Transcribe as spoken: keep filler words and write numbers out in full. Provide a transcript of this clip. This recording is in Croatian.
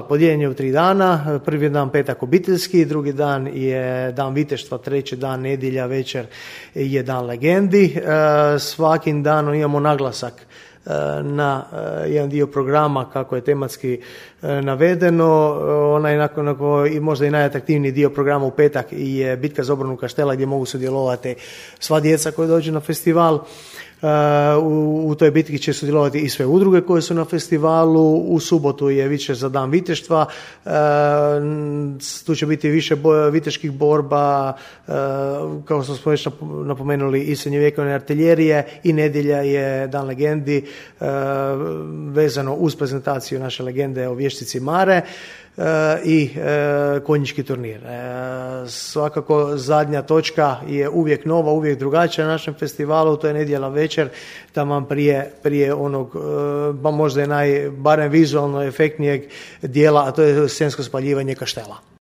Podijeljen je u tri dana, prvi dan petak obiteljski, drugi dan je dan viteštva, treći dan nedjelja večer je dan legendi. Svakim danom imamo naglasak na jedan dio programa kako je tematski navedeno. Onaj nakon, nakon, i možda i najatraktivniji dio programa u petak je bitka za obranu Kaštela gdje mogu sudjelovati sva djeca koja dođu na festival. U, u toj bitki će sudjelovati i sve udruge koje su na festivalu. U subotu je više za dan viteštva, tu će biti više boja, viteških borba, kao što smo već napomenuli, i srednjovjekovne artiljerije, i nedjelja je dan legendi vezano uz prezentaciju naše legende o vještici Mare i konjički turnir. Svakako zadnja točka je uvijek nova, uvijek drugačija na našem festivalu, to je nedjelja večer, tamo prije, prije onog, pa možda je naj, barem vizualno efektnijeg dijela, a to je scensko spaljivanje Kaštela.